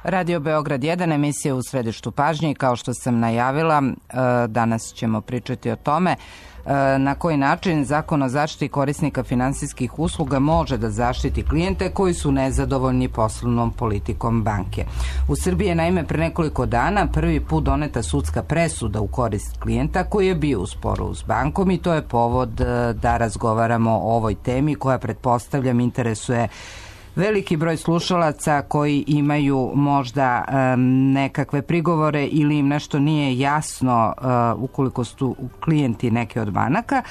Radio Beograd 1, emisija u središtu pažnje i kao što sam najavila, danas ćemo pričati o tome na koji način Zakon o zaštiti korisnika finansijskih usluga može da zaštiti klijente koji su nezadovoljni poslovnom politikom banke. U Srbiji je naime pre nekoliko dana prvi put doneta sudska presuda u korist klijenta koji je bio u sporu s bankom i to je povod da razgovaramo o ovoj temi koja, pretpostavljam, interesuje veliki broj slušalaca koji imaju možda nekakve prigovore ili im nešto nije jasno ukoliko su klijenti neke od banaka.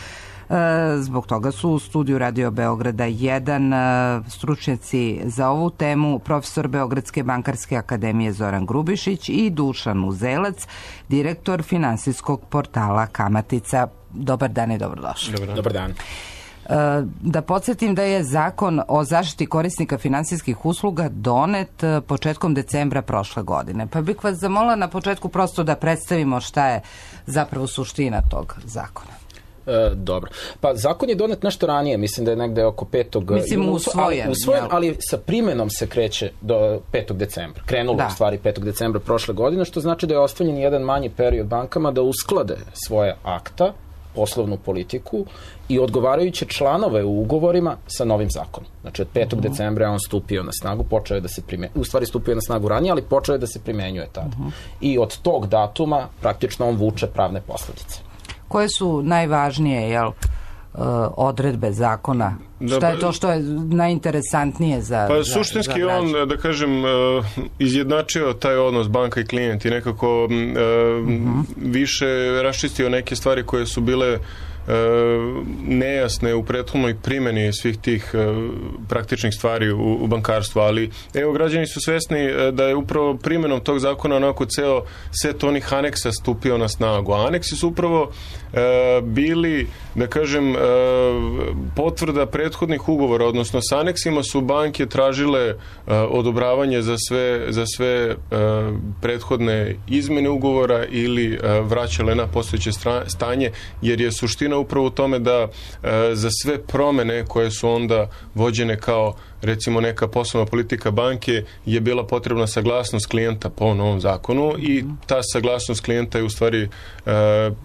Zbog toga su u studiju Radio Beograda 1 stručnjaci za ovu temu, profesor Beogradske bankarske akademije Zoran Grubišić i Dušan Uzelac, direktor finansijskog portala Kamatica. Dobar dan i dobrodošli. Dobar dan. Da podsjetim da je Zakon o zaštiti korisnika finansijskih usluga donet početkom decembra prošle godine. Pa bih vas zamolila na početku prosto da predstavimo šta je zapravo suština tog zakona. Dobro. Pa zakon je donet nešto ranije, mislim da je negde oko 5. Mislim usvojen, ali sa primenom se kreće do 5. decembra. Krenulo u stvari 5. decembra prošle godine, što znači da je ostavljen jedan manji period bankama da usklade svoje akta, poslovnu politiku i odgovarajuće članove u ugovorima sa novim zakonom. Znači od 5. decembra je on stupio na snagu, počeo je da se primenjuje, u stvari stupio na snagu ranije, ali počeo je da se primenjuje tada. I od tog datuma praktično on vuče pravne posledice. Koje su najvažnije, odredbe zakona? Šta je to što je najinteresantnije za... Pa suštinski on, da kažem, izjednačio taj odnos banka i klijent i nekako više raščistio neke stvari koje su bile nejasne u prethodnoj primjeni svih tih praktičnih stvari u bankarstvu, ali evo, građani su svesni da je upravo primjenom tog zakona onako ceo set onih aneksa stupio na snagu. A aneksi su upravo bili, da kažem, potvrda prethodnih ugovora, odnosno s aneksima su banke tražile odobravanje za sve prethodne izmene ugovora ili vraćale na postojeće stanje, jer je suština upravo u tome da za sve promene koje su onda vođene kao recimo neka poslovna politika banke je bila potrebna saglasnost klijenta po novom zakonu i ta saglasnost klijenta je u stvari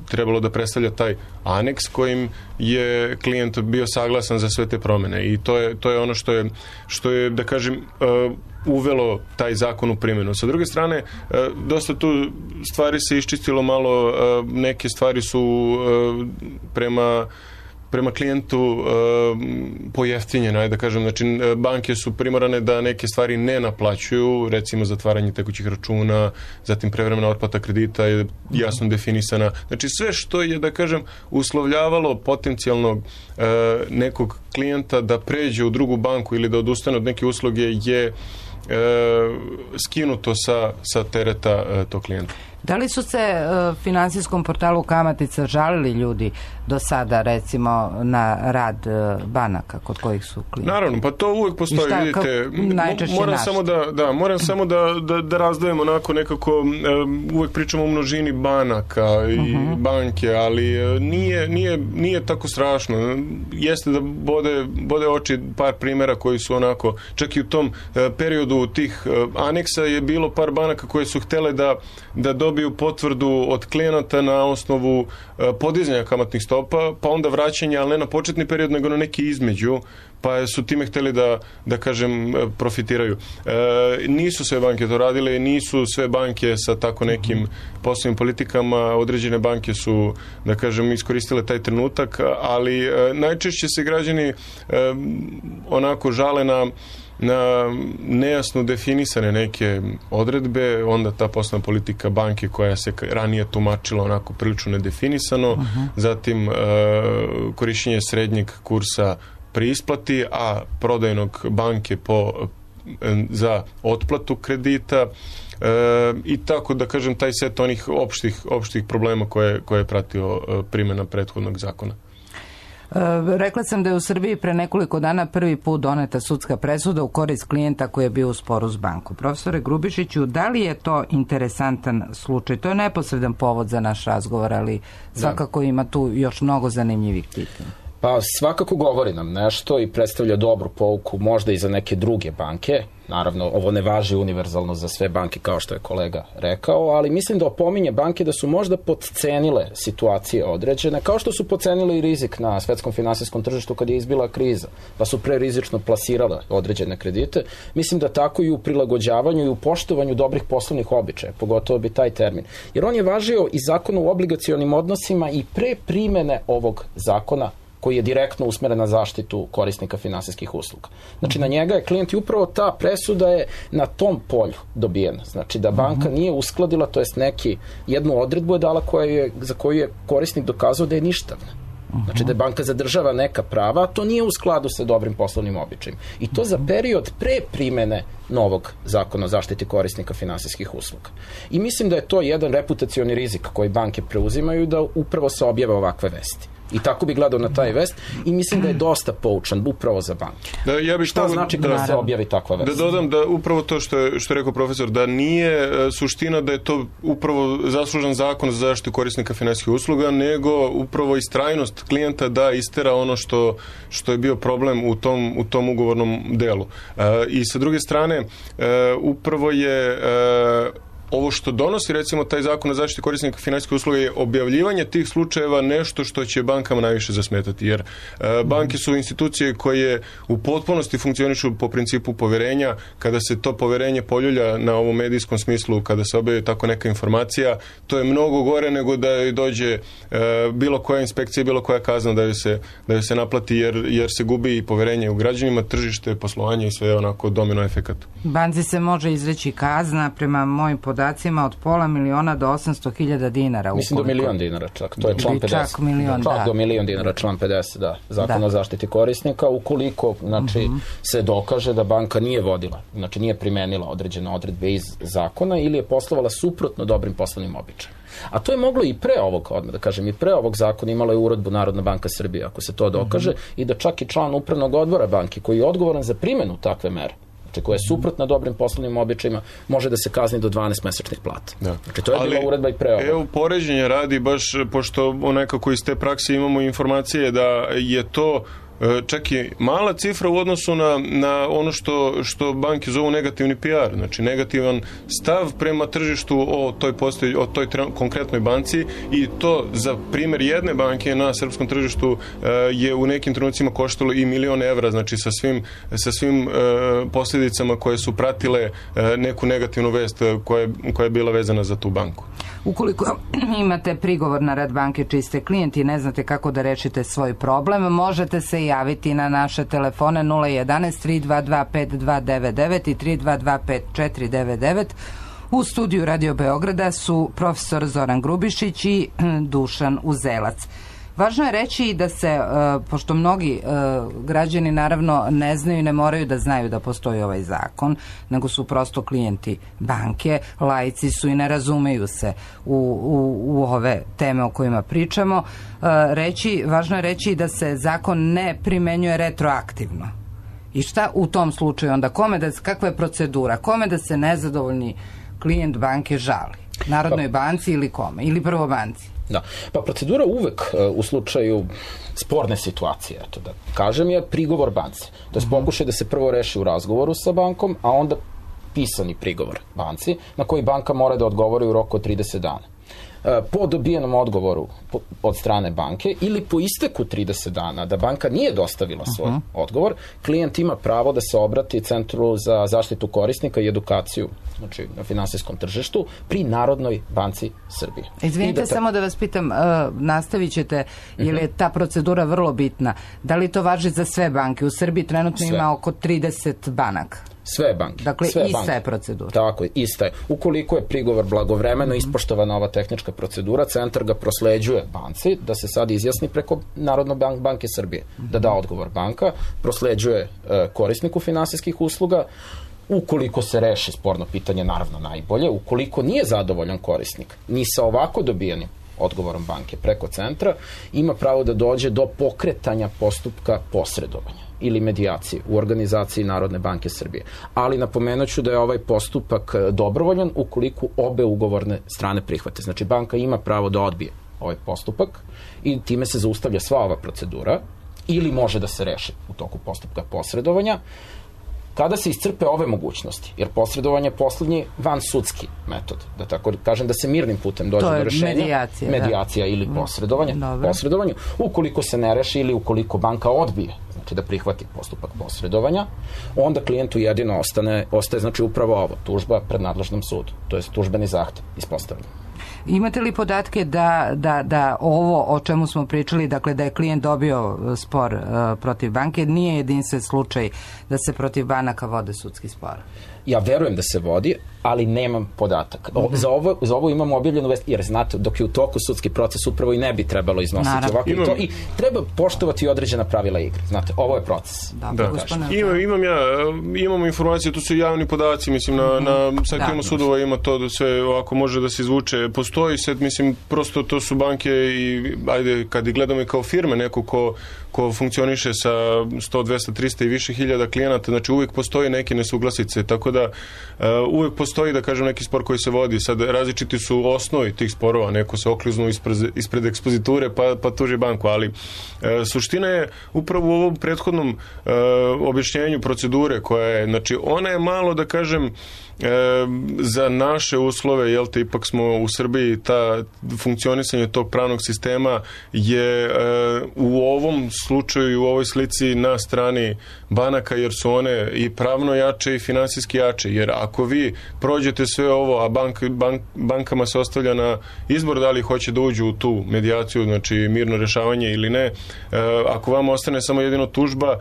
trebalo da predstavlja taj aneks kojim je klijent bio saglasan za sve te promene i to je ono što je da kažem uvelo taj zakon u primjenu. Sa druge strane, dosta tu stvari se iščistilo malo, neke stvari su prema klijentu pojeftinjene, da kažem, znači banke su primorane da neke stvari ne naplaćuju, recimo zatvaranje tekućih računa, zatim prevremena otplata kredita je jasno definisana. Znači sve što je, da kažem, uslovljavalo potencijalnog nekog klijenta da pređe u drugu banku ili da odustane od neke usluge je skinuto sa tereta tog klijenta. Da li su se finansijskom portalu Kamatica žalili ljudi do sada, recimo, na rad banaka kod kojih su klijenti? Naravno, pa to uvek postoji, vidite. Moram samo da razdvojimo onako nekako, uvek pričamo o množini banaka i banke, ali nije tako strašno. Jeste da bode oči par primjera koji su onako, čak i u tom periodu tih aneksa je bilo par banaka koje su htele da dobiju potvrdu od klijenata na osnovu podizanja kamatnih stopa, pa onda vraćanja, ali ne na početni period, nego na neki između, pa su time htjeli da kažem, profitiraju. Nisu sve banke to radile, nisu sve banke sa tako nekim poslovnim politikama, određene banke su, da kažem, iskoristile taj trenutak, ali najčešće se građani onako žale na nejasno definisane neke odredbe, onda ta poslovna politika banke koja se ranije tumačila onako prilično nedefinisano, zatim korišćenje srednjeg kursa pri isplati, a prodajnog banke za otplatu kredita i tako da kažem taj set onih opštih problema koje je pratio primjena prethodnog zakona. Rekla sam da je u Srbiji pre nekoliko dana prvi put doneta sudska presuda u korist klijenta koji je bio u sporu s bankom. Profesore Grubišiću, da li je to interesantan slučaj? To je neposredan povod za naš razgovor, ali svakako ima tu još mnogo zanimljivih pitanja. Pa svakako govori nam nešto i predstavlja dobru pouku možda i za neke druge banke. Naravno, ovo ne važi univerzalno za sve banke kao što je kolega rekao, ali mislim da opominje banke da su možda podcenile situacije određene, kao što su podcenile i rizik na svetskom finansijskom tržištu kad je izbila kriza, pa su prerizično plasirale određene kredite. Mislim da tako i u prilagođavanju i u poštovanju dobrih poslovnih običaja, pogotovo bi taj termin. Jer on je važio i zakon o obligacionim odnosima i pre primene ovog zakona koji je direktno usmeren na zaštitu korisnika finansijskih usluga. Znači, na njega je klijent i upravo ta presuda je na tom polju dobijena. Znači, da banka nije uskladila, to jest jednu odredbu je dala za koju je korisnik dokazao da je ništavna. Znači, da je banka zadržava neka prava, a to nije u skladu sa dobrim poslovnim običajima. I to za period pre primene novog zakona o zaštiti korisnika finansijskih usluga. I mislim da je to jedan reputacioni rizik koji banke preuzimaju da upravo se objave ovakve vesti. I tako bi gledao na taj vest i mislim da je dosta poučan upravo za banke. Šta znači kada se objavi takva vest? Da dodam da upravo to što je rekao profesor, da nije suština da je to upravo zaslužan zakon za zaštitu korisnika finansijskih usluga, nego upravo istrajnost klijenta da istera ono što je bio problem u tom ugovornom delu. I sa druge strane, upravo je ovo što donosi, recimo, taj zakon o zaštiti korisnika finansijskih usluga je objavljivanje tih slučajeva nešto što će bankama najviše zasmetati, jer banke su institucije koje u potpunosti funkcionišu po principu poverenja. Kada se to poverenje poljulja na ovom medijskom smislu, kada se objavi tako neka informacija, to je mnogo gore nego da joj dođe bilo koja inspekcija, bilo koja kazna da joj se naplati, jer se gubi i poverenje u građanima, tržište, poslovanje i sve onako domino efekat. Banci se može izreći kazna prema mojim podacima od $500,000 do $800,000 dinara. Mislim do $1.000.000 čak, to je član 50. Čak milion, čak do $1.000.000, član 50, da. Zakon o zaštiti korisnika, ukoliko se dokaže da banka nije vodila, znači nije primenila određene odredbe iz zakona ili je poslovala suprotno dobrim poslovnim običajima. A to je moglo i pre ovog, odmah da kažem, i pre ovog zakona imala je uredbu Narodna banka Srbije, ako se to dokaže, i da čak i član upravnog odbora banke, koji je odgovoran za primenu takve mere, koja je suprotna dobrim poslovnim običajima, može da se kazni do 12 mesečnih plata. Znači, to je bila uredba i pre ovoga. Evo, poređenje radi, baš pošto nekako iz te prakse imamo informacije da je to čak i mala cifra u odnosu na ono što banke zovu negativni PR, znači negativan stav prema tržištu o toj konkretnoj banci, i to za primjer jedne banke na srpskom tržištu je u nekim trenucima koštalo i €1.000.000, znači sa svim posljedicama koje su pratile neku negativnu vest koja je bila vezana za tu banku. Ukoliko imate prigovor na rad banke čiji ste klijent i ne znate kako da rešite svoj problem, možete se javiti na naše telefone 011 322 5299 i 322 5499. U studiju Radio Beograda su profesor Zoran Grubišić i Dušan Uzelac. Važno je reći da se, pošto mnogi građani naravno ne znaju i ne moraju da znaju da postoji ovaj zakon, nego su prosto klijenti banke, laici su i ne razumeju se u ove teme o kojima pričamo, važno je reći da se zakon ne primenjuje retroaktivno. I šta u tom slučaju onda? Kakva je procedura? Kome da se nezadovoljni klijent banke žali? Narodnoj banci ili kome? Ili prvo banci? Da, pa procedura uvek u slučaju sporne situacije, eto da kažem, je prigovor banci. To je pokušaj da se prvo reši u razgovoru sa bankom, a onda pisani prigovor banci, na koji banka mora da odgovori u roku od 30 dana. Po dobijenom odgovoru od strane banke ili po isteku 30 dana da banka nije dostavila svoj odgovor, klijent ima pravo da se obrati Centru za zaštitu korisnika i edukaciju, znači na finansijskom tržištu, pri Narodnoj banci Srbije. Izvinite, samo da vas pitam, nastavit ćete, jer je ta procedura vrlo bitna. Da li to važi za sve banke? U Srbiji trenutno ima oko 30 banaka. Sve banke. Dakle, ista je procedura. Tako je, ista je. Ukoliko je prigovor blagovremeno ispoštovana ova tehnička procedura, centar ga prosleđuje banci da se sad izjasni preko Narodne banke Srbije, da da odgovor banka, prosleđuje korisniku finansijskih usluga. Ukoliko se reši sporno pitanje, naravno najbolje. Ukoliko nije zadovoljan korisnik ni sa ovako dobijenim odgovorom banke preko centra, ima pravo da dođe do pokretanja postupka posredovanja ili medijacije u organizaciji Narodne banke Srbije. Ali napomenuću da je ovaj postupak dobrovoljan ukoliko obe ugovorne strane prihvate. Znači, banka ima pravo da odbije ovaj postupak i time se zaustavlja sva ova procedura ili može da se reši u toku postupka posredovanja. Kada se iscrpe ove mogućnosti, jer posredovanje je poslednji vansudski metod, da tako kažem, da se mirnim putem dođe do rešenja, medijacija ili posredovanje, ukoliko se ne reši ili ukoliko banka odbije, znači da prihvati postupak posredovanja, onda klijentu jedino ostaje znači upravo ovo, tužba pred nadležnom sudu, to je tužbeni zahtev ispostavljen. Imate li podatke da ovo o čemu smo pričali, dakle da je klijent dobio spor protiv banke, nije jedinstven slučaj da se protiv banaka vode sudski spor? Ja verujem da se vodi, ali nemam podatak. Za ovo imamo objavljenu vest, jer znate, dok je u toku sudski proces upravo i ne bi trebalo iznositi ovako i to, i treba poštovati određena pravila igre. Znate, ovo je proces. Imamo informacije, tu su javni podaci, mislim, na sajtima sudova ima to da sve ovako može da se izvuče. Postoji sad, mislim, prosto to su banke i, ajde, kad ih gledamo i kao firme, neko ko funkcioniše sa 100, 200, 300 i više hiljada klijenata, znači uvijek postoji neke nesuglasice, tako da uvijek postoji, da kažem, neki spor koji se vodi. Sad različiti su osnovi tih sporova, neko se okliznu ispred ekspoziture pa tuži banku, ali suština je upravo u ovom prethodnom objašnjenju procedure koja je, znači ona je malo, da kažem, za naše uslove, jel te, ipak smo u Srbiji, ta funkcionisanje tog pravnog sistema je u ovom slučaju i u ovoj slici na strani banaka, jer su one i pravno jače i finansijski jače, jer ako vi prođete sve ovo, a bankama se ostavlja na izbor da li hoće da uđu u tu medijaciju, znači mirno rešavanje ili ne, ako vam ostane samo jedino tužba,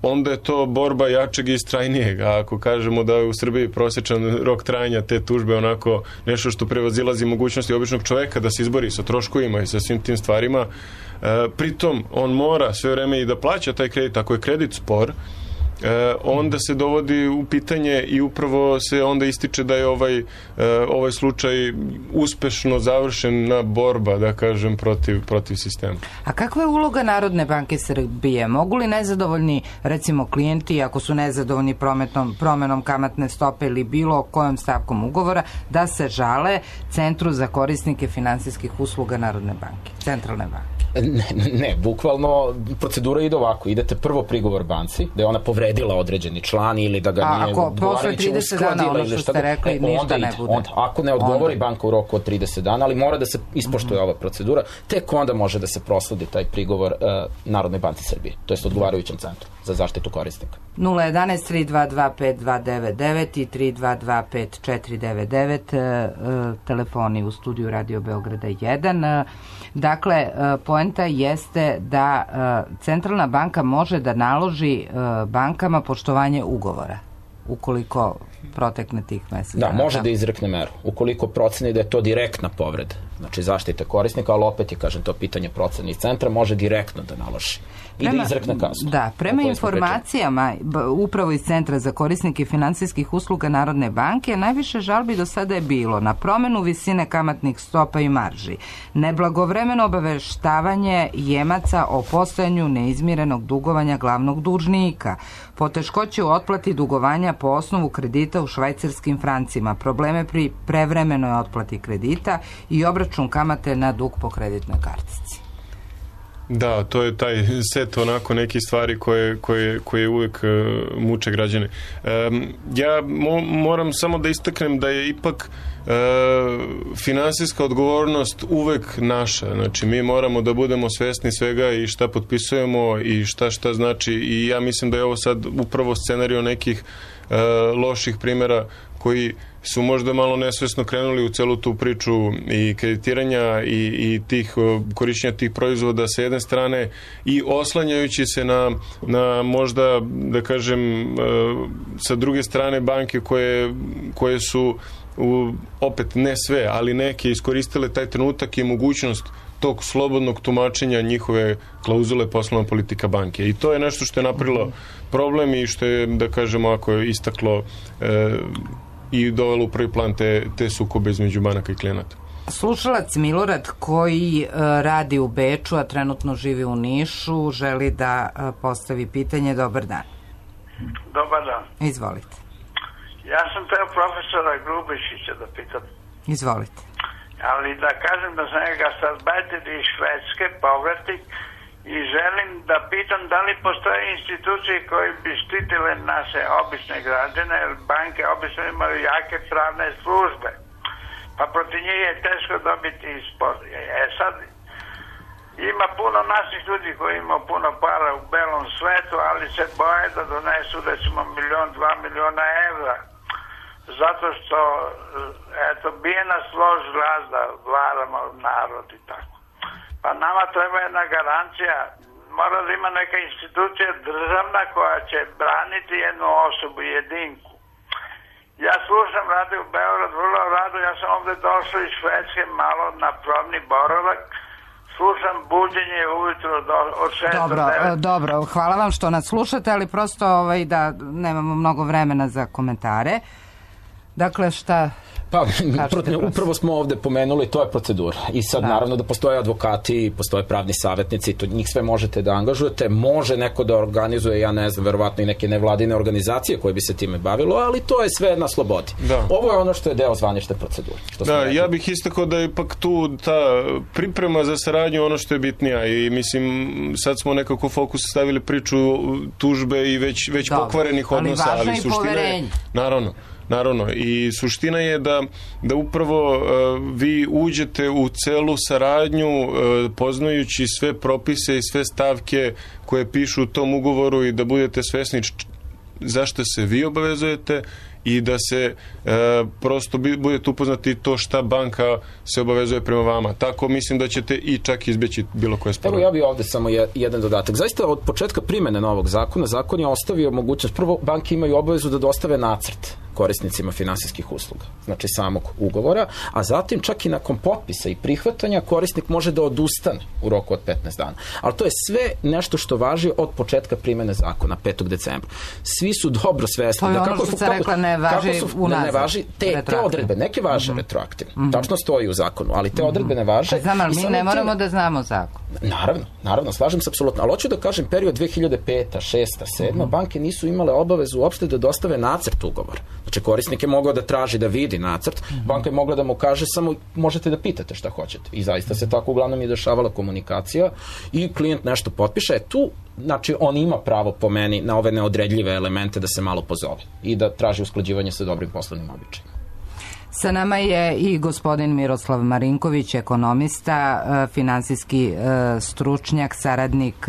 onda je to borba jačeg i istrajnijeg, a ako kažemo da je u Srbiji prosječan rok trajanja te tužbe onako nešto što prevazilazi mogućnosti običnog čoveka da se izbori sa troškovima i sa svim tim stvarima, pritom on mora sve vreme i da plaća taj kredit, ako je kredit spor, onda se dovodi u pitanje i upravo se onda ističe da je ovaj slučaj uspešno završena borba, da kažem, protiv sistema. A kakva je uloga Narodne banke Srbije? Mogu li nezadovoljni, recimo, klijenti, ako su nezadovoljni promenom kamatne stope ili bilo kojom stavkom ugovora, da se žale Centru za korisnike finansijskih usluga Narodne banke, Centralne banke? Ne, bukvalno procedura ide ovako. Idete prvo prigovor banci, da je ona povredila određeni član ili da ga nije odgovarajuće uskladila ili šta god. Ako ne odgovori banka u roku od 30 dana, ali mora da se ispoštuje ova procedura, tek onda može da se prosledi taj prigovor Narodnoj banci Srbije, to jest odgovarajućem centru za zaštitu korisnika. 011-322-5299 i 322-5499, telefoni u studiju Radio Beograda 1. Dakle, poenta jeste da Centralna banka može da naloži bankama poštovanje ugovora, ukoliko protekne tih meseci. Da, može da izrekne meru. Ukoliko proceni da je to direktna povreda, znači zaštite korisnika, ali opet je, kažem, to pitanje procene iz centra, može direktno da naloži i da izrekne kaznu. Da, prema informacijama upravo iz Centra za korisnike finansijskih usluga Narodne banke, najviše žalbi do sada je bilo na promenu visine kamatnih stopa i marži, neblagovremeno obaveštavanje jemaca o postojanju neizmirenog dugovanja glavnog dužnika, poteškoće u otplati dugovanja po osnovu kredita u švajcarskim francima, probleme pri prevremenoj otplati kredita i obračun kamate na dug po kreditnoj kartici. Da, to je taj set onako nekih stvari koje uvijek muče građane. Ja moram samo da istaknem da je ipak finansijska odgovornost uvek naša. Znači, mi moramo da budemo svesni svega i šta potpisujemo i šta znači, i ja mislim da je ovo sad upravo scenario nekih loših primjera koji su možda malo nesvesno krenuli u celu tu priču i kreditiranja i tih korišćenja tih proizvoda sa jedne strane i oslanjajući se na možda, da kažem, sa druge strane banke koje su opet ne sve, ali neke iskoristile taj trenutak i mogućnost tog slobodnog tumačenja njihove klauzule poslovna politika banke. I to je nešto što je napravilo problem i što je, da kažemo, ako je istaklo i dovelo u prvi plan te sukobe između banaka i klijenata. Slušalac Milorad koji radi u Beču, a trenutno živi u Nišu, želi da postavi pitanje. Dobar dan. Dobar dan. Izvolite. Ja sam teo profesora Grubišića da pitam. Izvolite. Ali da kažem da sam ga sad Bajter iz Švedske povratnik i želim da pitam da li postoje institucije koje bi štitile naše obične građane, jer banke obično imaju jake pravne službe, pa protiv njih je teško dobiti spor. Sad, ima puno naših ljudi koji imaju puno para u belom svetu, ali se boje da donesu recimo 1-2 miliona evra. Zato što, eto, bije nas lož glas da varamo narod i tako. Pa nama treba jedna garancija, mora da ima neka institucija državna koja će braniti jednu osobu, jedinku. Ja slušam Radio Beograd vrlo rado, ja sam ovde došao iz Švedske malo na probni boravak, slušam buđenje ujutro od 6 do 9. Dobro, hvala vam što nas slušate, ali prosto da nemamo mnogo vremena za komentare. Dakle, šta... Pa, upravo smo ovde pomenuli, to je procedura. I sad, naravno, da postoje advokati, postoje pravni savjetnici, to njih sve možete da angažujete. Može neko da organizuje, ja ne znam, verovatno i neke nevladine organizacije koje bi se time bavilo, ali to je sve na slobodi. Ovo je ono što je deo zvanične procedure. Ja bih istakao da je ipak tu ta priprema za saradnju ono što je bitnija i mislim, sad smo nekako fokus stavili priču tužbe i već pokvarenih odnosa, ali suština je... Naravno, i suština je da upravo vi uđete u celu saradnju poznajući sve propise i sve stavke koje pišu u tom ugovoru i da budete svesni zašto se vi obavezujete i da se prosto budete upoznati to šta banka se obavezuje prema vama. Tako mislim da ćete i čak izbeći bilo koje sporove. Evo ja bih ovde samo jedan dodatak. Zaista od početka primene novog zakona, zakon je ostavio mogućnost, prvo banke imaju obavezu da dostave nacrt korisnicima finansijskih usluga, znači samog ugovora, a zatim čak i nakon potpisa i prihvatanja korisnik može da odustane u roku od 15 dana. Ali to je sve nešto što važi od početka primene zakona, 5. decembra. Svi su dobro svesni. To je ono što se rekla ne važi unazad. Ne važi te odredbe, neke važe retroaktivno. Tačno stoji u zakonu, ali te odredbe ne važe. Znam, ali mi ne moramo da znamo zakon. Naravno, slažem se apsolutno. Ali hoću da kažem, period 2005. 6. 7. banke nisu imale obavezu uopšte da dostave nacrt ugovora. Znači, korisnik je mogao da traži da vidi nacrt, banka je mogla da mu kaže samo možete da pitate šta hoćete. I zaista se tako uglavnom i dešavala komunikacija i klijent nešto potpiše. Tu, znači, on ima pravo po meni na ove neodredljive elemente da se malo pozove i da traži usklađivanje sa dobrim poslovnim običajima. Sa nama je i gospodin Miroslav Marinković, ekonomista, finansijski stručnjak, saradnik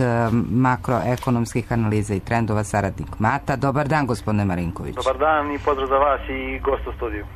makroekonomskih analiza i trendova, saradnik MATA. Dobar dan, gospodine Marinković. Dobar dan i pozdrav za vas i gost u studiju.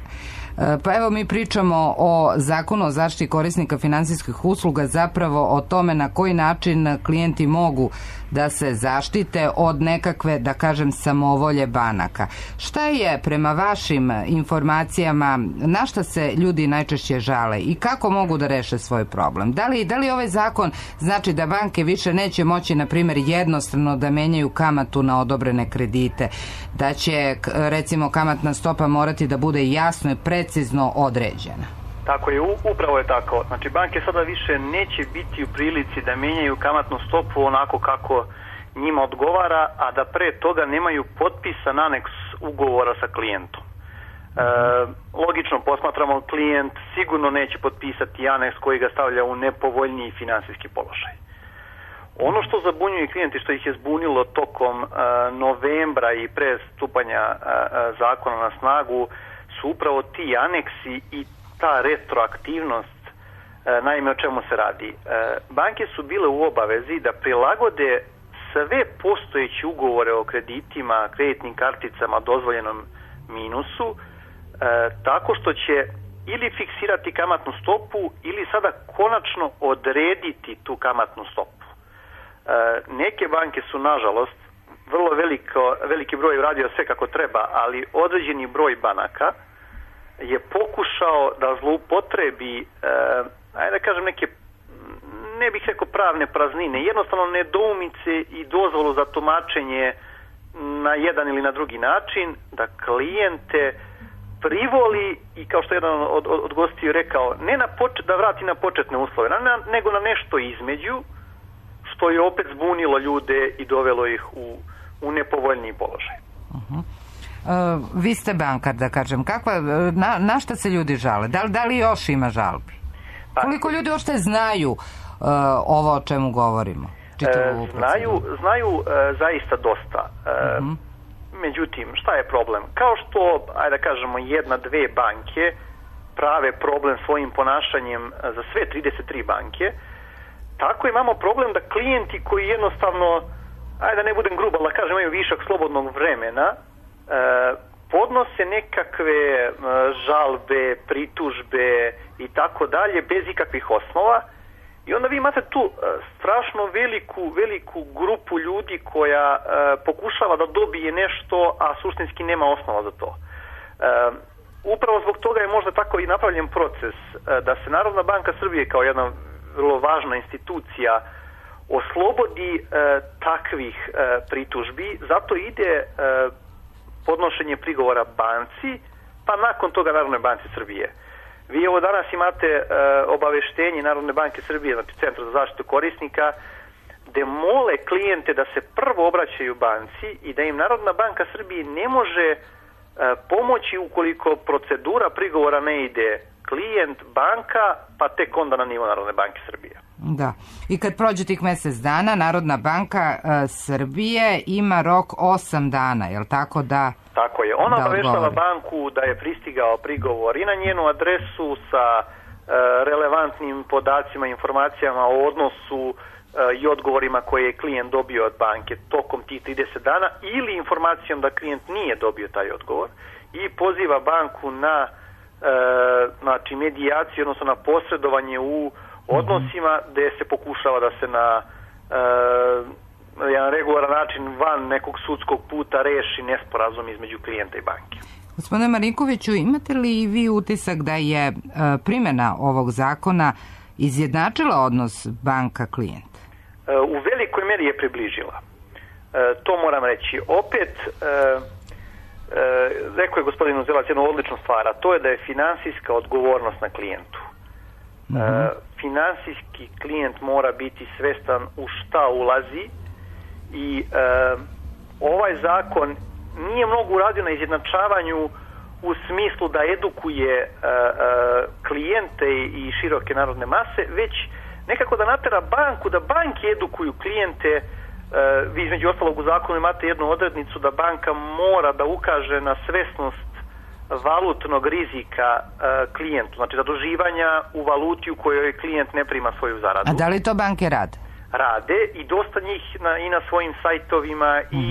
Pa evo, mi pričamo o zakonu o zaštiti korisnika finansijskih usluga, zapravo o tome na koji način klijenti mogu da se zaštite od nekakve, da kažem, samovolje banaka. Šta je prema vašim informacijama, na šta se ljudi najčešće žale i kako mogu da reše svoj problem? Da li ovaj zakon znači da banke više neće moći, na primjer, jednostrano da menjaju kamatu na odobrene kredite, da će, recimo, kamatna stopa morati da bude jasno i precizno određena? Tako je, upravo je tako. Znači, banke sada više neće biti u prilici da menjaju kamatnu stopu onako kako njima odgovara, a da pre toga nemaju potpisan aneks ugovora sa klijentom. Logično posmatramo, klijent sigurno neće potpisati aneks koji ga stavlja u nepovoljniji finansijski položaj. Ono što zabunjuje klijenti, što ih je zbunilo tokom novembra i pre stupanja zakona na snagu, su upravo ti aneksi i ta retroaktivnost. Naime, o čemu se radi? Banke su bile u obavezi da prilagode sve postojeće ugovore o kreditima, kreditnim karticama, dozvoljenom minusu, tako što će ili fiksirati kamatnu stopu ili sada konačno odrediti tu kamatnu stopu. Neke banke su, nažalost, vrlo veliki broj uradio sve kako treba, ali određeni broj banaka je pokušao da zloupotrebi, ajde da kažem, neke, ne bih rekao pravne praznine, jednostavno nedoumice i dozvolu za tumačenje na jedan ili na drugi način, da klijente privoli i, kao što jedan od gostiju rekao, ne da vrati na početne uslove, nego na nešto između, što je opet zbunilo ljude i dovelo ih u nepovoljniji položaj. Vi ste bankar, da kažem. Na šta se ljudi žale? Da li još ima žalbi? Koliko ljudi uopšte znaju ovo o čemu govorimo? čitavu Znaju zaista dosta. Međutim, šta je problem? Kao što, ajde da kažemo, 1-2 banke prave problem svojim ponašanjem za sve 33 banke, tako imamo problem da klijenti koji jednostavno, ajde da ne budem grub, ali da kažem, imaju višak slobodnog vremena, podnose nekakve žalbe, pritužbe i tako dalje bez ikakvih osnova, i onda vi imate tu strašno veliku grupu ljudi koja pokušava da dobije nešto, a suštinski nema osnova za to. Upravo zbog toga je možda tako i napravljen proces da se Narodna banka Srbije kao jedna vrlo važna institucija oslobodi takvih pritužbi, zato ide podnošenje prigovora banci, pa nakon toga Narodnoj banci Srbije. Vi ovo danas imate obaveštenje Narodne banke Srbije, znači Centra za zaštitu korisnika, gde mole klijente da se prvo obraćaju banci i da im Narodna banka Srbije ne može pomoći ukoliko procedura prigovora ne ide klijent, banka, pa tek onda na nivo Narodne banke Srbije. Da. I kad prođe tih mjesec dana, Narodna banka Srbije ima rok 8 dana, je li tako da... Tako je. Ona obaveštava banku da je pristigao prigovor i na njenu adresu sa relevantnim podacima, informacijama o odnosu i odgovorima koje je klijent dobio od banke tokom tih 30 dana ili informacijom da klijent nije dobio taj odgovor i poziva banku na znači medijaciju, odnosno na posredovanje u odnosima gde se pokušava da se na jedan regularan način van nekog sudskog puta reši nesporazum između klijenta i banke. Gospodine Marinkoviću, imate li vi utisak da je primjena ovog zakona izjednačila odnos banka-klijent? U velikoj meri je približila. To moram reći. Opet, rekao je gospodin Uzelac jednu odličnu stvar, a to je da je finansijska odgovornost na klijentu. Finansijski klijent mora biti svestan u šta ulazi i ovaj zakon nije mnogo uradio na izjednačavanju u smislu da edukuje klijente i široke narodne mase, već nekako da natera banku, da banke edukuju klijente. Vi između ostalog u zakonu imate jednu odrednicu da banka mora da ukaže na svesnost valutnog rizika klijentu, znači zaduživanja u valuti u kojoj klijent ne prima svoju zaradu. A da li to banke rade? Rade i dosta njih i na svojim sajtovima i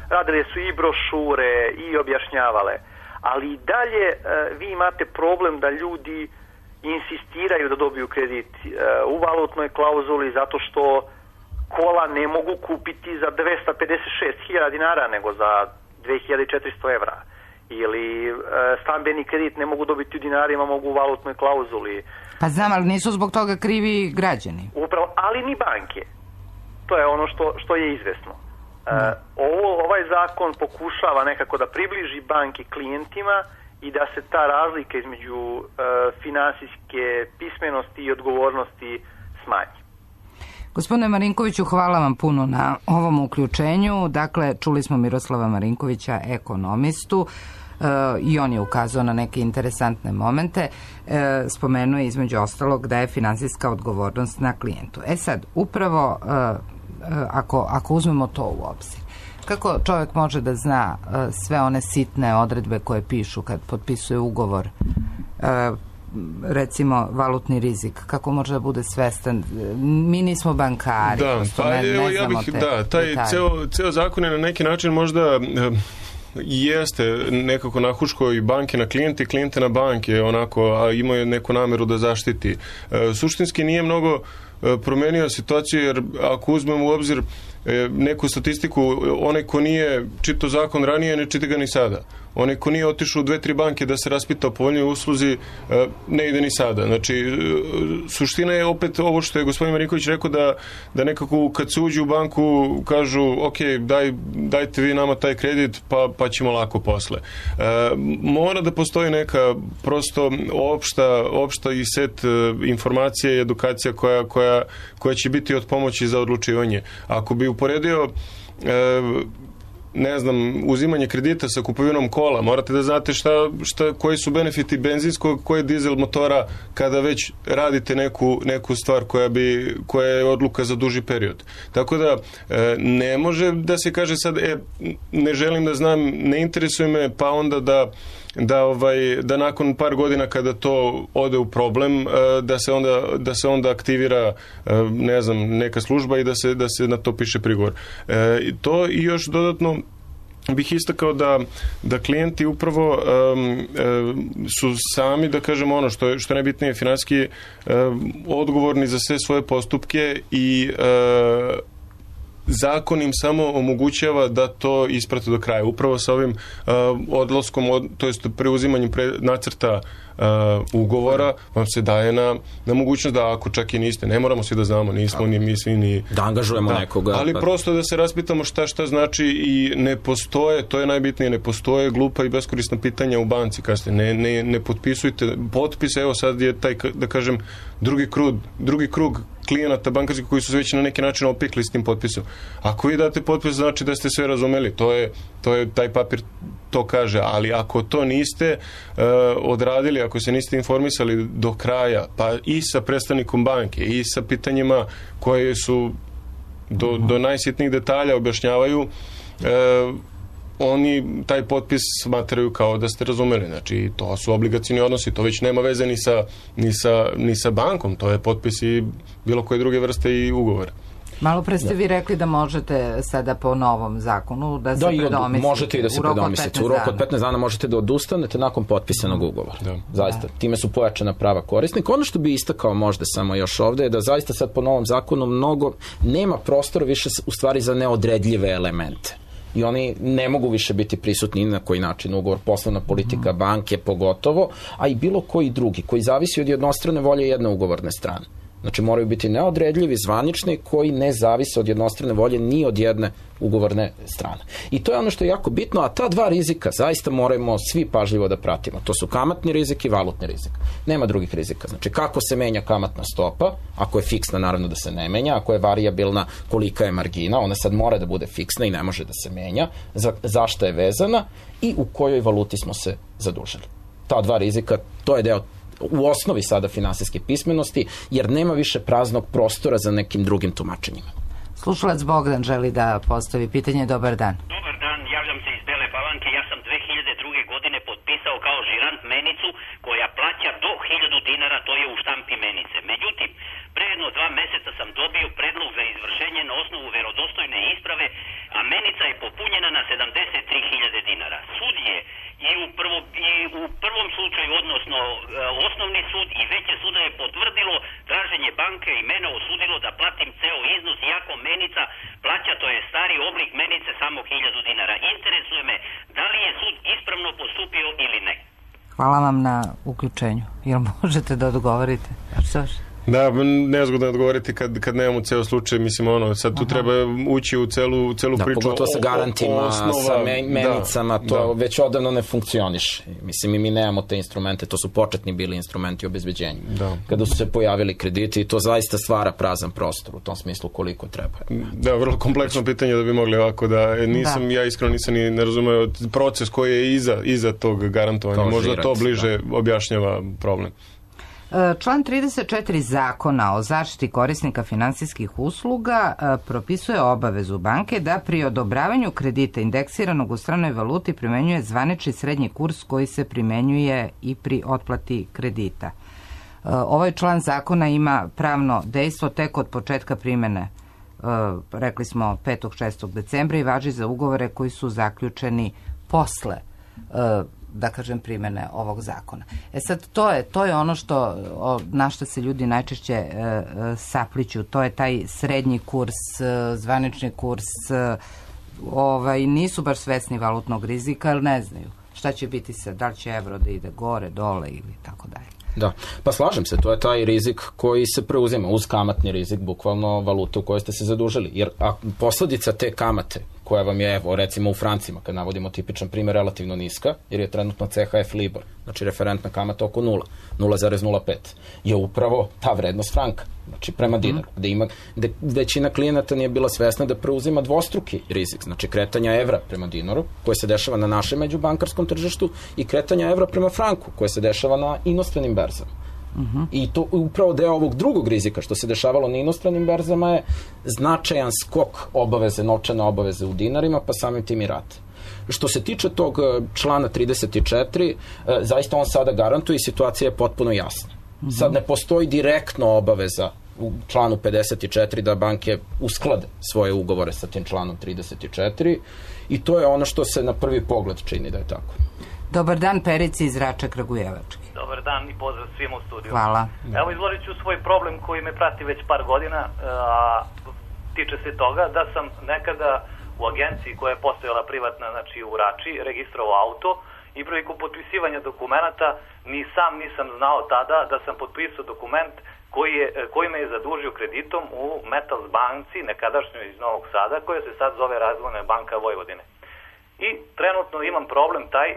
radile su i brošure i objašnjavale. Ali i dalje vi imate problem da ljudi insistiraju da dobiju kredit u valutnoj klauzuli zato što kola ne mogu kupiti za 256.000 dinara nego za 2.400 evra. Ili stambeni kredit ne mogu dobiti u dinarima, mogu u valutnoj klauzuli. Pa znam, ali nisu zbog toga krivi građani. Upravo, ali ni banke. To je ono što je izvesno. Ovaj zakon pokušava nekako da približi banke klijentima i da se ta razlika između finansijske pismenosti i odgovornosti smanji. Gospodine Marinkoviću, hvala vam puno na ovom uključenju. Dakle, čuli smo Miroslava Marinkovića, ekonomistu, i on je ukazao na neke interesantne momente. Spomenuo je između ostalog da je finansijska odgovornost na klijentu. Sad, upravo ako uzmemo to u obzir, kako čovjek može da zna sve one sitne odredbe koje pišu kad potpisuje ugovor, recimo valutni rizik, kako može da bude svestan? Mi nismo bankari. Da, taj ceo zakon je na neki način možda jeste nekako nahuško i banke na klijente, klijente na banke, onako, a imaju neku nameru da zaštiti. Suštinski nije mnogo promenio situaciju, jer ako uzmemo u obzir neku statistiku, onaj ko nije čitao zakon ranije, ne čita ga ni sada. Onaj ko nije otišao u 2-3 banke da se raspita o povoljnoj usluzi, ne ide ni sada. Znači, suština je opet ovo što je gospodin Marinković rekao, da nekako kad se uđe u banku kažu, ok, dajte vi nama taj kredit, pa ćemo lako posle. Mora da postoji neka prosto opšta i set informacija i edukacija koja će biti od pomoći za odlučivanje. Ako bi uporedio ne znam, uzimanje kredita sa kupovinom kola, morate da znate koji su benefiti benzinskog, koji je dizel motora kada već radite neku stvar koja je odluka za duži period. Tako da ne može da se kaže sad ne želim da znam, ne interesuje me, pa onda da nakon par godina kada to ode u problem, da se onda aktivira ne znam, neka služba i da se na to piše prigovor. To i još dodatno bih istakao da klijenti upravo su sami, da kažemo ono što je najbitnije, finansijski odgovorni za sve svoje postupke i zakon im samo omogućava da to isprate do kraja. Upravo sa ovim odlaskom, to jest preuzimanjem nacrta ugovora vam se daje na mogućnost da ako čak i niste, ne moramo svi da znamo, nismo ni mi svi ni... Da angažujemo nekoga. Ali prosto da se raspitamo šta znači i ne postoje, to je najbitnije, ne postoje glupa i beskorisna pitanja u banci kasnije. Ne potpisujte potpise, evo sad je taj, da kažem, drugi krug klijenata bankarskih koji su već na neki način opikli s tim potpisom. Ako vi date potpis, znači da ste sve razumeli. To je taj papir to kaže, ali ako to niste odradili, ako se niste informisali do kraja, pa i sa predstavnikom banke i sa pitanjima koje su do najsitnijih detalja objašnjavaju, oni taj potpis smatraju kao da ste razumeli. Znači, to su obligacioni odnosi, to već nema veze ni sa bankom, to je potpis i bilo koje druge vrste i ugovora. Malo pre ste vi rekli da možete sada po novom zakonu da se predomislite. Možete i da se predomislite. U roku od 15 dana možete da odustanete nakon potpisanog ugovora. Zaista, time su pojačana prava korisnika. Ono što bi istakao možda samo još ovde je da zaista sad po novom zakonu nema prostora više u stvari za neodredljive elemente. I oni ne mogu više biti prisutni ni na koji način, ugovor, poslovna politika banke pogotovo, a i bilo koji drugi, koji zavisi od jednostrane volje jedne ugovorne strane. Znači moraju biti neodredljivi, zvanični, koji ne zavise od jednostrane volje ni od jedne ugovorne strane. I to je ono što je jako bitno, a ta dva rizika zaista moramo svi pažljivo da pratimo. To su kamatni rizik i valutni rizik. Nema drugih rizika. Znači kako se menja kamatna stopa, ako je fiksna naravno da se ne menja, ako je varijabilna kolika je margina, ona sad mora da bude fiksna i ne može da se menja, zašto je vezana i u kojoj valuti smo se zadužili. Ta dva rizika, to je deo u osnovi sada finansijske pismenosti, jer nema više praznog prostora za nekim drugim tumačenjima. Slušalac Bogdan želi da postavi pitanje. Dobar dan. Dobar dan, javljam se iz Bele Palanke. Ja sam 2002. godine potpisao kao žirant menicu koja plaća do 1000 dinara, to je u štampi menice. Međutim, pre jedno 2 meseca sam dobio predlog za izvršenje na osnovu verodostojne isprave, a menica je popunjena na 73.000 dinara. Sud je i u prvom slučaju, odnosno osnovni sud i veće suda je potvrdilo traženje banke i mene osudilo da platim ceo iznos, iako menica plaća, to je stari oblik menice, samo 1000 dinara. Interesuje me da li je sud ispravno postupio ili ne. Hvala vam na uključenju. Jel možete da odgovorite? Da, nezgodno je odgovoriti kad nemamo ceo slučaj, mislim, sad tu treba ući u celu priču. Pogotovo sa garantima, sa menicama, to već odavno ne funkcioniše. Mislim, mi nemamo te instrumente, to su početni bili instrumenti obezbeđenja. Kada su se pojavili krediti, i to zaista stvara prazan prostor, u tom smislu koliko treba. Da, vrlo kompleksno pitanje da bi mogli ovako ja iskreno nisam ni ne razumeo proces koji je iza tog garantovanja. Možda to bliže objašnjava problem. Član 34 Zakona o zaštiti korisnika finansijskih usluga propisuje obavezu banke da pri odobravanju kredita indeksiranog u stranoj valuti primenjuje zvanični srednji kurs koji se primenjuje i pri otplati kredita. Ovaj član zakona ima pravno dejstvo tek od početka primene, rekli smo 5. 6. decembra, i važi za ugovore koji su zaključeni posle da kažem primene ovog zakona. Sad, to je ono na što se ljudi najčešće sapliću, to je taj srednji kurs, zvanični kurs, nisu baš svesni valutnog rizika, ali ne znaju šta će biti da li će evro da ide gore, dole ili tako dalje. Da, pa slažem se, to je taj rizik koji se preuzima uz kamatni rizik, bukvalno valute u kojoj ste se zadužili, jer posledica te kamate koja vam je, evo, recimo u francima, kad navodimo tipičan primjer, relativno niska, jer je trenutno CHF Libor, znači referentna kamata oko 0,05, je upravo ta vrednost franka, znači prema dinaru, gde većina klijenata nije bila svesna da preuzima dvostruki rizik, znači kretanja evra prema dinaru, koje se dešava na našem međubankarskom tržištu, i kretanja evra prema franku, koje se dešava na inostranim berzama. I to upravo deo ovog drugog rizika što se dešavalo na inostranim berzama je značajan skok obaveze, novčane obaveze u dinarima, pa samim tim i rate. Što se tiče tog člana 34, zaista on sada garantuje i situacija je potpuno jasna. Sad ne postoji direktno obaveza u članu 54 da banke usklade svoje ugovore sa tim članom 34 i to je ono što se na prvi pogled čini da je tako. Dobar dan, Perici iz Rača Kragujevački. Dobar dan i pozdrav svim u studiju. Hvala. Evo, izložit ću svoj problem koji me prati već par godina, a tiče se toga da sam nekada u agenciji koja je postojala privatna, znači u Rači, registrovao auto i prilikom potpisivanja dokumenata ni sam nisam znao tada da sam potpisao dokument koji me je zadužio kreditom u Metals banci, nekadašnjoj iz Novog Sada, koja se sad zove Razvojna banka Vojvodine. I trenutno imam problem taj,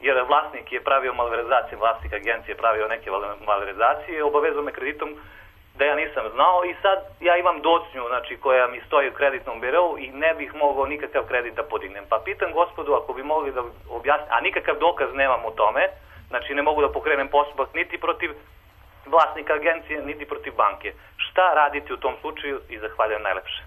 jer vlasnik je pravio malverzacije, vlasnik agencije je pravio neke malverzacije, obavezao me kreditom da ja nisam znao i sad ja imam docnju, znači, koja mi stoji u kreditnom birou i ne bih mogao nikakav kredit da podignem. Pa pitam gospodu ako bi mogli da objasni, a nikakav dokaz nemam u tome, znači ne mogu da pokrenem postupak niti protiv vlasnika agencije, niti protiv banke. Šta raditi u tom slučaju i zahvaljujem najlepše.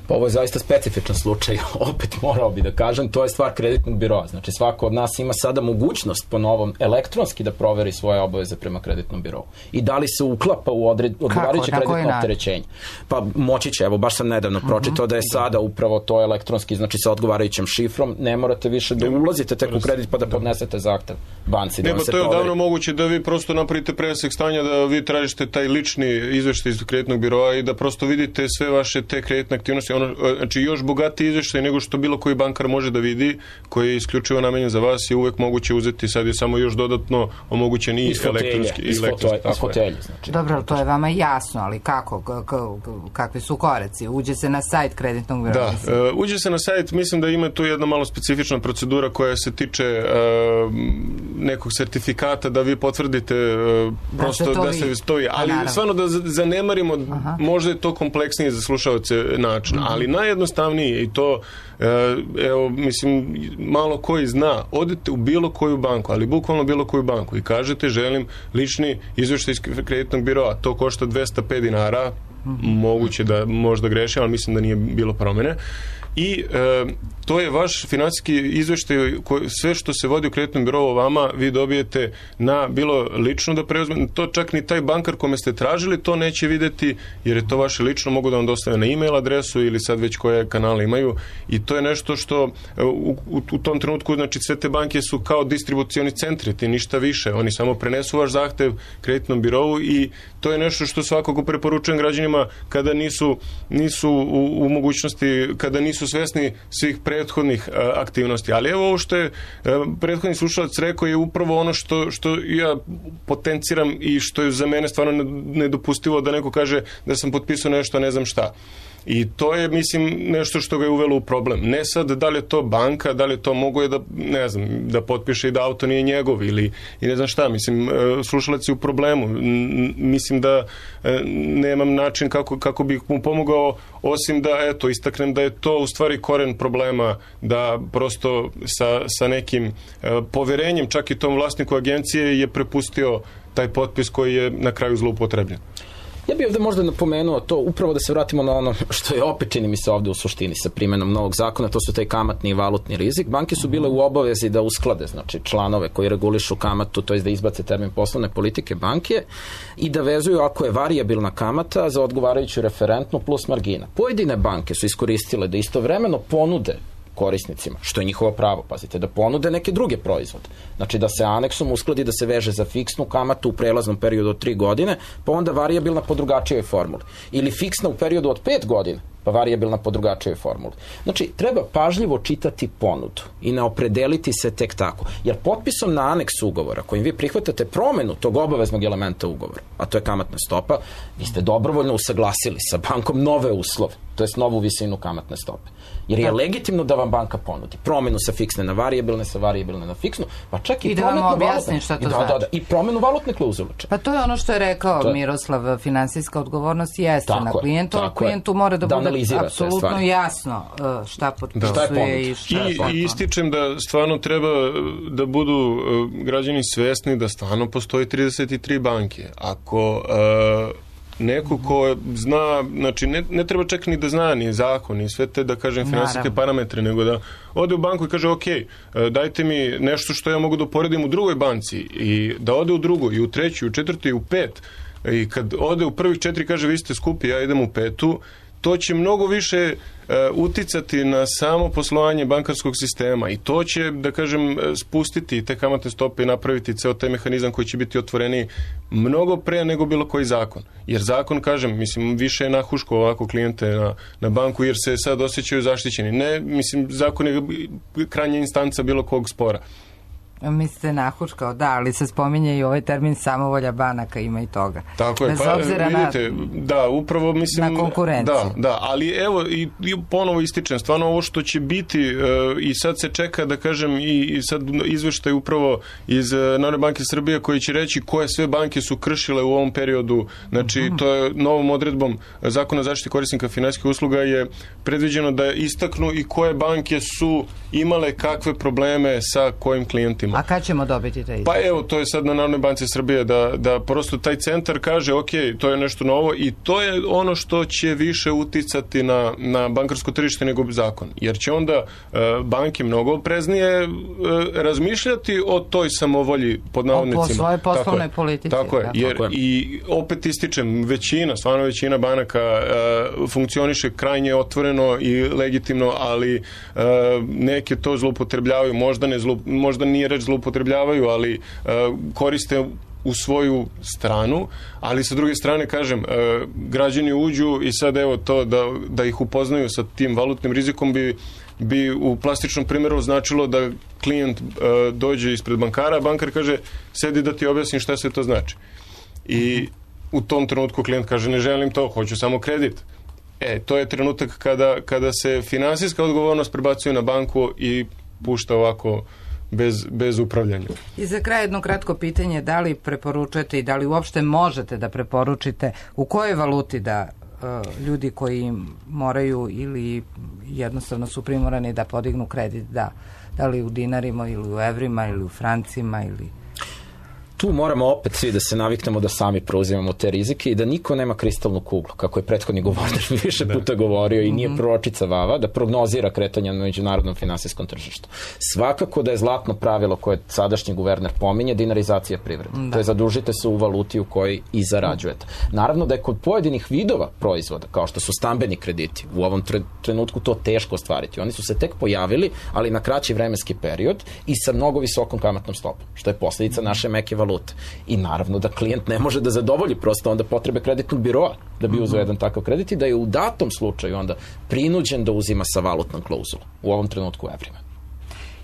Pa ovo je zaista specifičan slučaj, opet morao bi da kažem, to je stvar kreditnog biroa. Znači svako od nas ima sada mogućnost po novom elektronski da proveri svoje obaveze prema kreditnom birovu. I da li se uklapa u odgovarajuće kreditno opterećenje? Pa moći će, evo baš sam nedavno pročitao da je sada upravo to elektronski, znači sa odgovarajućim šifrom, ne morate više da ulazite tek u kredit pa da podnesete zahtev banci. Ne, to je odavno moguće da vi prosto napravite presek stanja, da vi tražite taj lični izveštaj iz kreditnog biroa i da prosto vidite sve vaše te kreditne aktivnosti. Znači još bogatiji izveštaj nego što bilo koji bankar može da vidi, koji je isključivo namenjen za vas, je uvek moguće uzeti, sad je samo još dodatno omogućen i elektronski. Znači. Dobro, to je vama jasno, ali kakvi su koraci? Uđe se na sajt kreditnog biroa? Da, uđe se na sajt, mislim da ima tu jedna malo specifična procedura koja se tiče nekog sertifikata da vi potvrdite prosto da se stoji, ali stvarno da zanemarimo, možda je to kompleksnije za slušaoce način, ali najjednostavnije i to, evo, mislim, malo koji zna, odete u bilo koju banku, ali bukvalno bilo koju banku i kažete želim lični izveštaj iz kreditnog biroa, to košta 205 dinara, moguće da možda grešim, ali mislim da nije bilo promene. I to je vaš finansijski izveštaj, sve što se vodi u kreditnom birou o vama, vi dobijete na bilo lično da preuzmete, to čak ni taj bankar kome ste tražili to neće videti, jer je to vaše lično, mogu da vam dostave na e-mail adresu ili sad već koje kanale imaju i to je nešto što u tom trenutku, znači sve te banke su kao distribucioni centri, ti ništa više, oni samo prenesu vaš zahtev kreditnom birou i to je nešto što svakako preporučujem građanima kada nisu u mogućnosti, kada nisu svesni svih prethodnih aktivnosti. Ali evo ovo što je prethodni slušalac rekao je upravo ono što ja potenciram i što je za mene stvarno nedopustivo da neko kaže da sam potpisao nešto, ne znam šta. I to je, mislim, nešto što ga je uvelo u problem. Ne sad da li je to banka, da li je to mogo je da, ne znam, da potpiše i da auto nije njegov ili i ne znam šta. Mislim, slušalac je u problemu. Mislim da nemam način kako bih mu pomogao, osim da, eto, istaknem da je to u stvari koren problema, da prosto sa nekim poverenjem, čak i tom vlasniku agencije je prepustio taj potpis koji je na kraju zloupotrebljen. Ja bih ovde možda napomenuo to, upravo da se vratimo na ono što je opet čini mi se ovde u suštini sa primenom novog zakona, to su taj kamatni i valutni rizik. Banke su bile u obavezi da usklade, znači, članove koji regulišu kamatu, to je da izbace termin poslovne politike banke i da vezuju ako je varijabilna kamata za odgovarajuću referentnu plus margina. Pojedine banke su iskoristile da istovremeno ponude korisnicima, što je njihovo pravo, pazite, da ponude neke druge proizvode. Znači da se aneksom uskladi da se veže za fiksnu kamatu u prelaznom periodu od 3 godine, pa onda varijabilna po drugačijoj formuli. Ili fiksna u periodu od 5 godina, pa varijabilna po drugačijoj formuli. Znači, treba pažljivo čitati ponudu i ne opredeliti se tek tako. Jer potpisom na aneks ugovora, kojim vi prihvatate promenu tog obaveznog elementa ugovora, a to je kamatna stopa, vi ste dobrovoljno usaglasili sa bankom nove uslove, to jest novu visinu kamatne stope. Jer je legitimno da vam banka ponudi promenu sa fiksne na varijabilne, sa varijabilne na fiksnu, pa čak i da vam objasnim šta to znači. I promenu valutne klauzule. Pa to je ono što je rekao Miroslav, finansijska odgovornost jeste na klijentu, a klijentu mora da bude apsolutno jasno šta potpisuje i šta je potpuno. I ističem da stvarno treba da budu građani svesni da stvarno postoji 33 banke. Ako neko ko zna, znači ne treba čak ni da zna ni zakon, ni sve te, da kažem, finansijske parametre, nego da ode u banku i kaže, ok, dajte mi nešto što ja mogu da uporedim u drugoj banci i da ode u drugu, i u treću, i u četvrtu, i u pet. I kad ode u prvih 4 kaže, vi ste skupi, ja idem u 5, to će mnogo više uticati na samo poslovanje bankarskog sistema i to će, da kažem, spustiti te kamatne stope i napraviti ceo taj mehanizam koji će biti otvoreniji mnogo pre nego bilo koji zakon. Jer zakon, kažem, mislim, više je nahuško ovako klijente na banku jer se sad osjećaju zaštićeni. Ne, mislim, zakon je krajnja instanca bilo kog spora. Mislite nahuškao, da, ali se spominje i ovaj termin samovolja banaka, ima i toga. Tako je, pa vidite, da, upravo mislim... Na konkurenciju. Da, ali evo, i ponovo ističem, stvarno ovo što će biti, i sad se čeka, da kažem, i sad izveštaj upravo iz Narodne banke Srbije koji će reći koje sve banke su kršile u ovom periodu, znači to je novom odredbom Zakona o zaštiti korisnika finansijskih usluga je predviđeno da istaknu i koje banke su imale kakve probleme sa kojim klijentima. A kad ćemo dobiti taj izvještaj? Pa evo, to je sad na Narodnoj banci Srbije da prosto taj centar kaže, ok, to je nešto novo i to je ono što će više uticati na bankarsko tržište nego zakon. Jer će onda banke mnogo opreznije razmišljati o toj samovolji pod navodnicima. O svoje poslovnoj politici. Tako je, jer i opet ističem, stvarno većina banaka funkcioniše krajnje otvoreno i legitimno, ali neke to zloupotrebljavaju, možda nije reč zloupotrebljavaju, ali koriste u svoju stranu, ali sa druge strane, kažem, građani uđu i sad evo to da ih upoznaju sa tim valutnim rizikom bi u plastičnom primjeru značilo da klijent dođe ispred bankara, a bankar kaže, sedi da ti objasnim šta se to znači. I u tom trenutku klijent kaže, ne želim to, hoću samo kredit. To je trenutak kada se finansijska odgovornost prebacuje na banku i pušta ovako bez upravljanja. I za kraj jedno kratko pitanje, da li preporučujete i da li uopšte možete da preporučite u kojoj valuti da ljudi koji moraju ili jednostavno su primorani da podignu kredit, da li u dinarima ili u evrima ili u francima ili... Tu moramo opet svi da se naviknemo da sami preuzimamo te rizike i da niko nema kristalnu kuglu, kako je prethodni govornik više puta govorio i nije proročica Vava, da prognozira kretanje na međunarodnom finansijskom tržištu. Svakako da je zlatno pravilo koje sadašnji guverner pominje dinarizacija privrede. To je zadužite se u valuti u kojoj i zarađujete. Naravno da je kod pojedinih vidova proizvoda, kao što su stambeni krediti, u ovom trenutku to teško ostvariti. Oni su se tek pojavili, ali na kraći vremenski period i sa mnogo visokom kamatnom stopom, što je posljedica naše meke valute. I naravno da klijent ne može da zadovolji prosto onda potrebe kreditnog biroa da bi uzeo jedan takav kredit i da je u datom slučaju onda prinuđen da uzima sa valutnom klauzulom, u ovom trenutku evrima.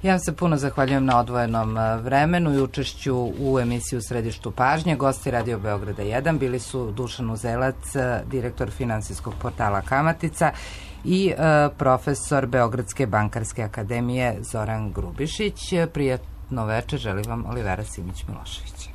Ja vam se puno zahvaljujem na odvojenom vremenu i učešću u emisiji U središtu pažnje. Gosti Radio Beograda 1 bili su Dušan Uzelac, direktor finansijskog portala Kamatica, i profesor Beogradske bankarske akademije Zoran Grubišić. Prijatno večer želim vam Olivera Simić-Milošević.